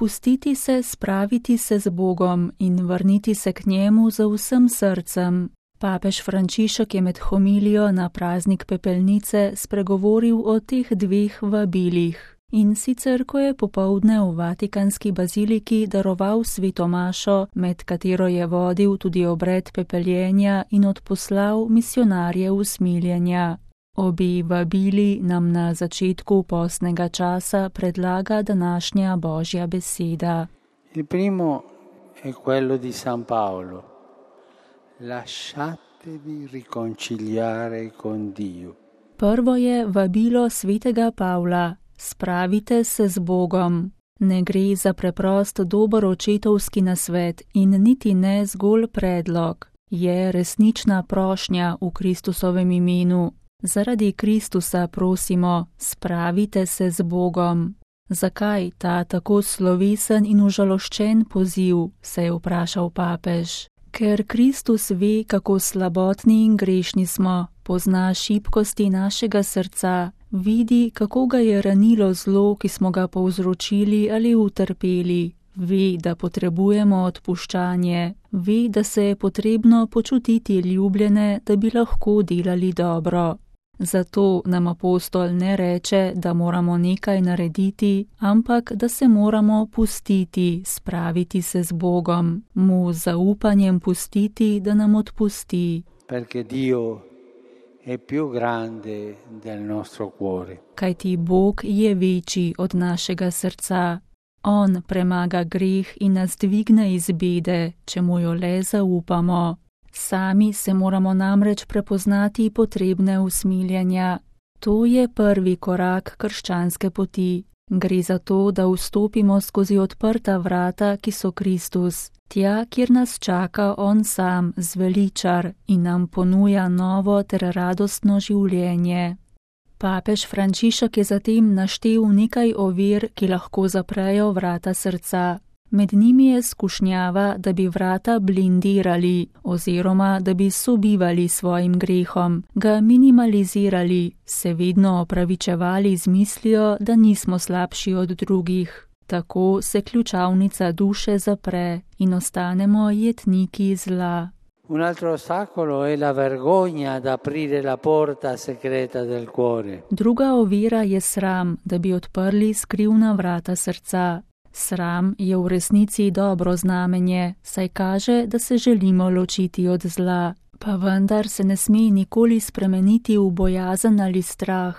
Pustiti se, spraviti se z Bogom in vrniti se k njemu za vsem srcem. Papež Frančišek je med homilijo na praznik pepelnice spregovoril o teh dveh vabilih. In sicer, ko je popoldne v Vatikanski baziliki daroval sveto mašo, med katero je vodil tudi obred pepeljenja in odposlal misionarje usmiljenja. Obi vabili nam na začetku postnega časa predlaga današnja Božja beseda. Il primo è quello di San Paolo. Lasciatevi riconciliare con Dio. Prvo je vabilo svetega Pavla. Spravite se z Bogom. Ne gre za preprost dober očetovski nasvet in niti ne zgolj predlog. Je resnična prošnja v Kristusovem imenu. Zaradi Kristusa prosimo, spravite se z Bogom. Zakaj ta tako slovesen in užaloščen poziv, se je vprašal papež. Ker Kristus ve, kako slabotni in grešni smo, pozna šibkosti našega srca, vidi, kako ga je ranilo zlo, ki smo ga povzročili ali utrpeli, ve, da potrebujemo odpuščanje, ve, da se je potrebno počutiti ljubljene, da bi lahko delali dobro. Zato nam apostol ne reče, da moramo nekaj narediti, ampak da se moramo pustiti, spraviti se z Bogom, mu z zaupanjem pustiti, da nam odpusti. Perché Dio è più grande del nostro cuore. Kajti Bog je večji od našega srca. On premaga greh in nas dvigne iz bede, če mu jo le zaupamo. Sami se moramo namreč prepoznati potrebne usmiljenja. To je prvi korak krščanske poti. Gre za to, da vstopimo skozi odprta vrata, ki so Kristus, tja, kjer nas čaka on sam, zveličar, in nam ponuja novo ter radostno življenje. Papež Frančišek je zatem naštel nekaj ovir, ki lahko zaprejo vrata srca. Med njimi je skušnjava, da bi vrata blindirali oziroma da bi sobivali svojim grehom, ga minimalizirali, se vedno opravičevali z mislijo, da nismo slabši od drugih. Tako se ključavnica duše zapre in ostanemo jetniki zla. Un altro ostacolo è la vergogna ad aprire la porta segreta del cuore. Druga ovira je sram, da bi odprli skrivna vrata srca. Sram je v resnici dobro znamenje, saj kaže, da se želimo ločiti od zla, pa vendar se ne sme nikoli spremeniti v bojazen ali strah.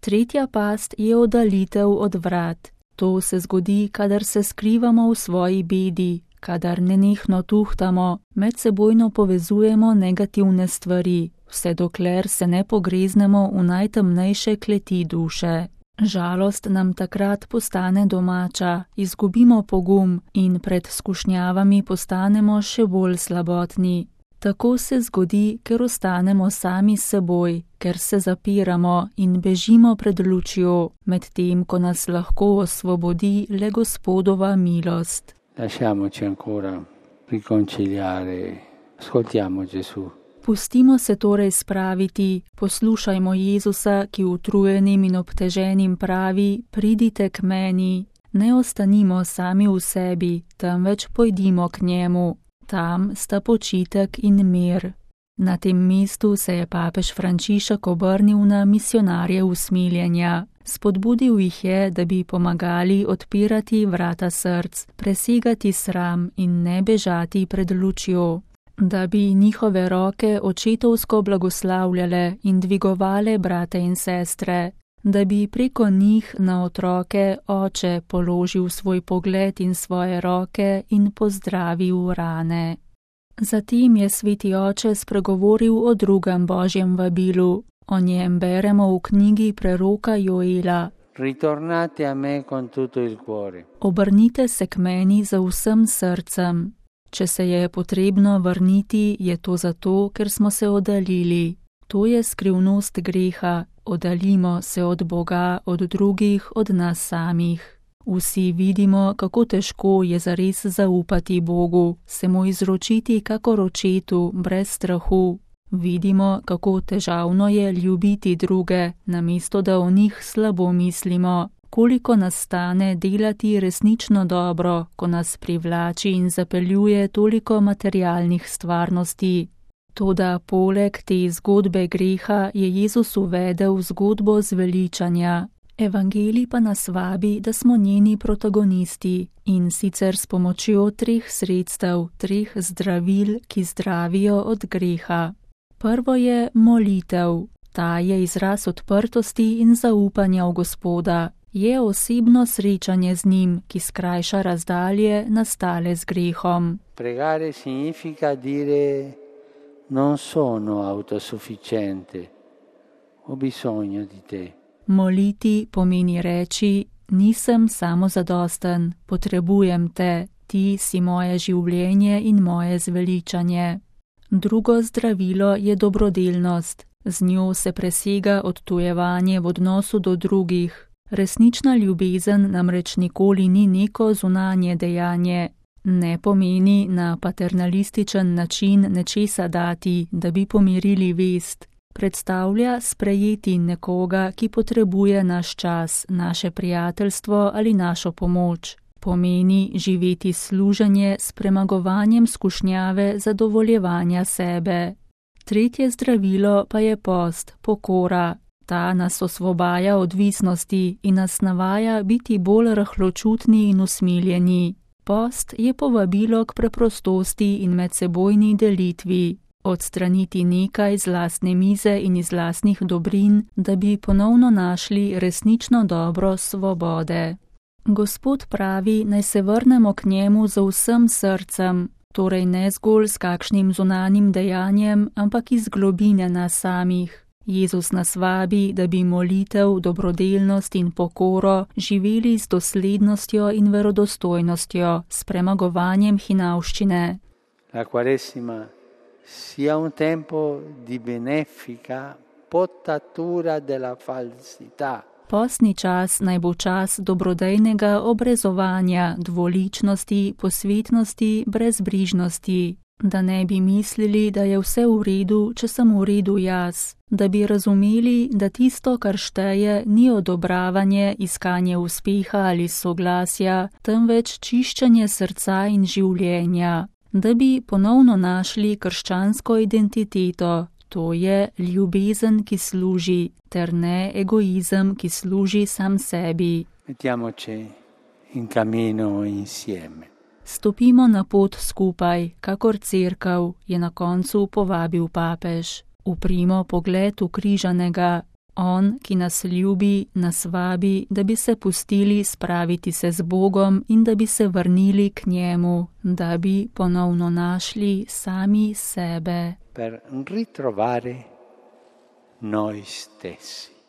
Tretja past je oddaljitev od vrat. To se zgodi, kadar se skrivamo v svoji bedi, kadar nenehno tuhtamo, medsebojno povezujemo negativne stvari, vse dokler se ne pogreznemo v najtemnejše kleti duše. Žalost nam takrat postane domača, izgubimo pogum in pred skušnjavami postanemo še bolj slabotni. Tako se zgodi, ker ostanemo sami s seboj, ker se zapiramo in bežimo pred lučjo, medtem ko nas lahko osvobodi le Gospodova milost. Lasciamoci ancora riconciliare. Ascoltiamo Gesù. Pustimo se torej spraviti, poslušajmo Jezusa, ki utrujenim in obteženim pravi, pridite k meni. Ne ostanimo sami v sebi, temveč pojdimo k njemu. Tam sta počitek in mir. Na tem mestu se je papež Frančišek obrnil na misionarje usmiljenja. Spodbudil jih je, da bi pomagali odpirati vrata src, presegati sram in ne bežati pred lučjo. Da bi njihove roke očetovsko blagoslavljale in dvigovale brate in sestre, da bi preko njih na otroke oče položil svoj pogled in svoje roke in pozdravil rane. Zatem je sveti oče spregovoril o drugem Božjem vabilu. O njem beremo v knjigi preroka Joela. Ritornate a me con tutto il cuore. Obrnite se k meni za vsem srcem. Če se je potrebno vrniti, je to zato, ker smo se oddaljili. To je skrivnost greha. Oddaljimo se od Boga, od drugih, od nas samih. Vsi vidimo, kako težko je zares zaupati Bogu, se mu izročiti kakor očetu, brez strahu. Vidimo, kako težavno je ljubiti druge, namesto da o njih slabo mislimo. koliko nas stane delati resnično dobro, ko nas privlači in zapeljuje toliko materialnih stvarnosti. Toda poleg te zgodbe greha je Jezus uvedel zgodbo zveličanja. Evangelij pa nas vabi, da smo njeni protagonisti, in sicer s pomočjo 3 sredstev, 3 zdravil, ki zdravijo od greha. Prvo je molitev. Ta je izraz odprtosti in zaupanja v Gospoda. Je osebno srečanje z njim, ki skrajša razdalje nastale z grehom. Pregare significa dire non sono autosufficiente, ho bisogno di te. Moliti pomeni reči, nisem samozadosten, potrebujem te, ti si moje življenje in moje zveličanje. Drugo zdravilo je dobrodelnost. Z njo se presega odtujevanje v odnosu do drugih. Resnična ljubezen namreč nikoli ni neko zunanje dejanje. Ne pomeni na paternalističen način nečesa dati, da bi pomirili vest. Predstavlja sprejeti nekoga, ki potrebuje naš čas, naše prijateljstvo ali našo pomoč. Pomeni živeti služenje s premagovanjem skušnjave zadovoljevanja sebe. Tretje zdravilo pa je post, pokora. Ta nas osvobaja odvisnosti in nas navaja biti bolj rahločutni in usmiljeni. Post je povabilo k preprostosti in medsebojni delitvi. Odstraniti nekaj z lastne mize in iz lastnih dobrin, da bi ponovno našli resnično dobro svobode. Gospod pravi, naj se vrnemo k njemu z vsem srcem, torej ne zgolj s kakšnim zunanjim dejanjem, ampak iz globine nas samih. Jezus nas vabi, da bi molitev, dobrodelnost in pokoro živeli z doslednostjo in verodostojnostjo, s premagovanjem hinavščine. La Quaresima sia un tempo di benefica potatura della falsità. Postni čas naj bo čas dobrodejnega obrezovanja, dvoličnosti, posvetnosti, brezbrižnosti. Da ne bi mislili, da je vse v redu, če sem v redu jaz. Da bi razumeli, da tisto, kar šteje, ni odobravanje, iskanje uspeha ali soglasja, temveč čiščenje srca in življenja. Da bi ponovno našli krščansko identiteto, to je ljubezen, ki služi, ter ne egoizem, ki služi sam sebi. Mettiamoci in cammino insieme. Stopimo na pot skupaj, kakor cerkev, je na koncu povabil papež. Uprimo pogled ukrižanega. On, ki nas ljubi, nas vabi, da bi se pustili spraviti se z Bogom in da bi se vrnili k njemu, da bi ponovno našli sami sebe. Per ritrovare noi stessi.